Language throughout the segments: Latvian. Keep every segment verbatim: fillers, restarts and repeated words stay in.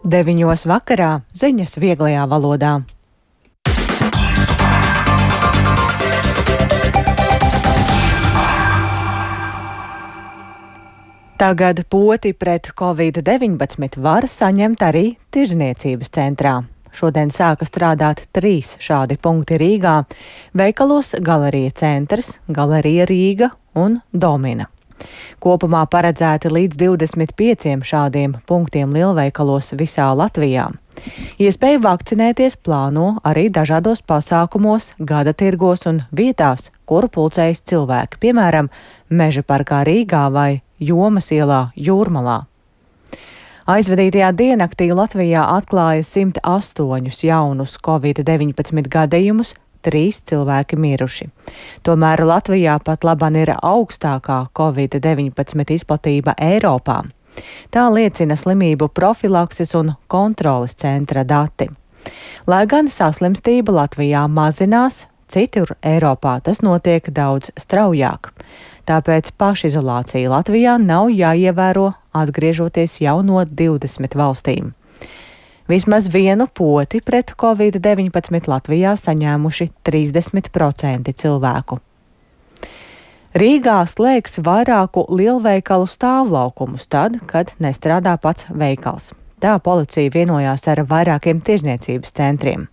Deviņos vakarā ziņas vieglajā valodā. Tagad poti pret covid deviņpadsmit var saņemt arī tirzniecības centrā. Šodien sāka strādāt trīs šādi punkti Rīgā - veikalos Galerija Centrs, Galerija Rīga un Domina. Kopumā paredzēti līdz divdesmit pieciem šādiem punktiem lielveikalos visā Latvijā. Iespēju vakcinēties plāno arī dažādos pasākumos, gada tirgos un vietās, kuru pulcējas cilvēki, piemēram, Meža parkā Rīgā vai Jomas ielā Jūrmalā. Aizvadītajā diennaktī Latvijā atklāja simt astoņus jaunus covid deviņpadsmit gadījumus, trīs cilvēki miruši. Tomēr Latvijā pat laban ir augstākā covid deviņpadsmit izplatība Eiropā. Tā liecina slimību profilakses un kontroles centra dati. Lai gan saslimstība Latvijā mazinās, citur Eiropā tas notiek daudz straujāk. Tāpēc pašizolācija Latvijā nav jāievēro, atgriežoties jau no divdesmit valstīm. Vismaz vienu poti pret covid deviņpadsmit Latvijā saņēmuši trīsdesmit procenti cilvēku. Rīgā slēgs vairāku lielveikalu stāvlaukumus tad, kad nestrādā pats veikals. Tā policija vienojās ar vairākiem tirzniecības centriem.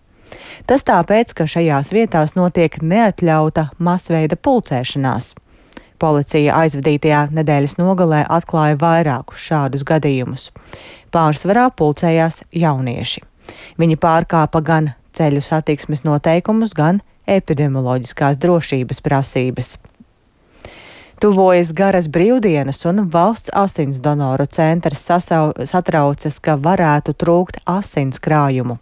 Tas tāpēc, ka šajās vietās notiek neatļauta masveida pulcēšanās. Policija aizvadītajā nedēļas nogalē atklāja vairākus šādus gadījumus. Pārsvarā pulcējās jaunieši. Viņi pārkāpa gan ceļu satiksmes noteikumus, gan epidemioloģiskās drošības prasības. Tuvojas garas brīvdienas un valsts asins donoru centrs sasau, satraucas, ka varētu trūkt asins krājumu.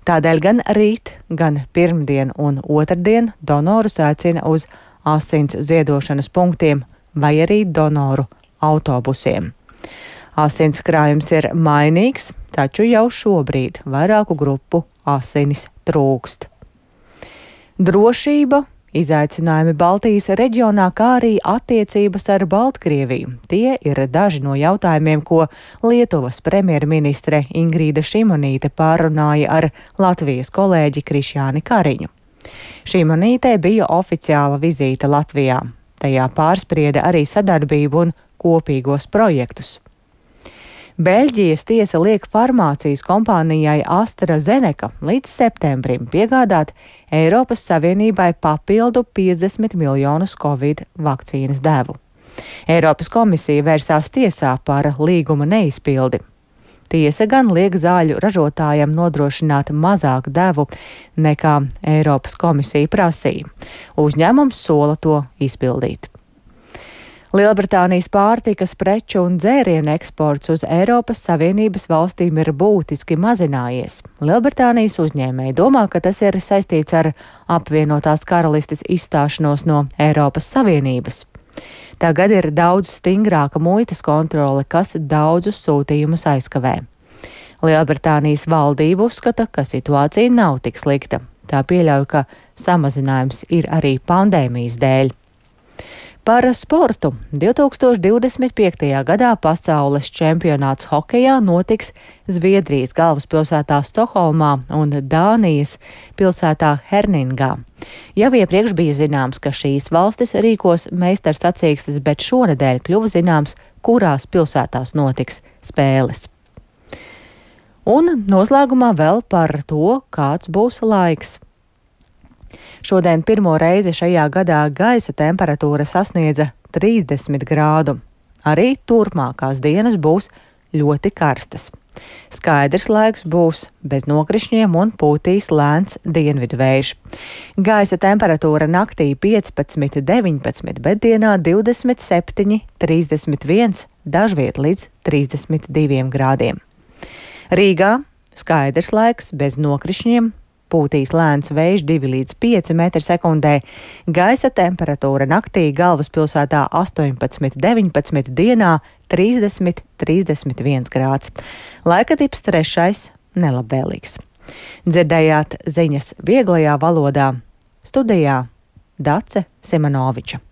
Tādēļ gan rīt, gan pirmdien un otrdien donorus aicina uz asins ziedošanas punktiem vai arī donoru autobusiem. Asins krājums ir mainīgs, taču jau šobrīd vairāku grupu asinis trūkst. Drošība, izaicinājumi Baltijas reģionā, kā arī attiecības ar Baltkrieviju. Tie ir daži no jautājumiem, ko Lietuvas premjerministre Ingrīda Šimonīte pārunāja ar Latvijas kolēģi Krišjāni Kariņu. Šimonītei bija oficiāla vizīte Latvijā. Tajā pārsprieda arī sadarbību un kopīgos projektus. Beļģijas tiesa liek farmācijas kompānijai AstraZeneca līdz septembrim piegādāt Eiropas Savienībai papildu piecdesmit miljonus covid vakcīnas devu. Eiropas komisija vērsās tiesā par līguma neizpildi. Tiesa gan liek zāļu ražotājiem nodrošināt mazāk devu nekā Eiropas komisija prasīja. Uzņēmums sola to izpildīt. Lielbritānijas pārtikas preču un dzērienu eksports uz Eiropas Savienības valstīm ir būtiski mazinājies. Lielbritānijas uzņēmēji domā, ka tas ir saistīts ar apvienotās karalistes izstāšanos no Eiropas Savienības. Tagad ir daudz stingrāka muitas kontrole, kas daudzus sūtījumus aizkavē. Lielbritānijas valdība uzskata, ka situācija nav tik slikta. Tā pieļauj, ka samazinājums ir arī pandēmijas dēļ. Par sportu. divi tūkstoši divdesmit piektajā gadā pasaules čempionāts hokejā notiks Zviedrijas galvaspilsētā Stokholmā un Dānijas pilsētā Herningā. Jau iepriekš bija zināms, ka šīs valstis rīkos meistarsacīkstes, bet šonedēļ kļuva zināms, kurās pilsētās notiks spēles. Un noslēgumā vēl par to, kāds būs laiks. Šodien pirmo reizi šajā gadā gaisa temperatūra sasniedza trīsdesmit grādu. Arī turpmākās dienas būs ļoti karstas. Skaidrs laiks būs bez nokrišņiem un pūtīs lēns dienvidu vējš. Gaisa temperatūra naktī piecpadsmit deviņpadsmit, bet dienā divdesmit septiņi trīsdesmit viens, dažviet līdz trīsdesmit diviem grādiem. Rīgā skaidrs laiks bez nokrišņiem. Pūtīs lēns vējš divi līdz pieci metri sekundē, gaisa temperatūra naktī galvaspilsētā astoņpadsmit deviņpadsmit, dienā trīsdesmit trīsdesmit viens grāds. Laika tips trešais nelabvēlīgs. Dzirdējāt ziņas vieglajā valodā. Studijā Dace Simonoviča.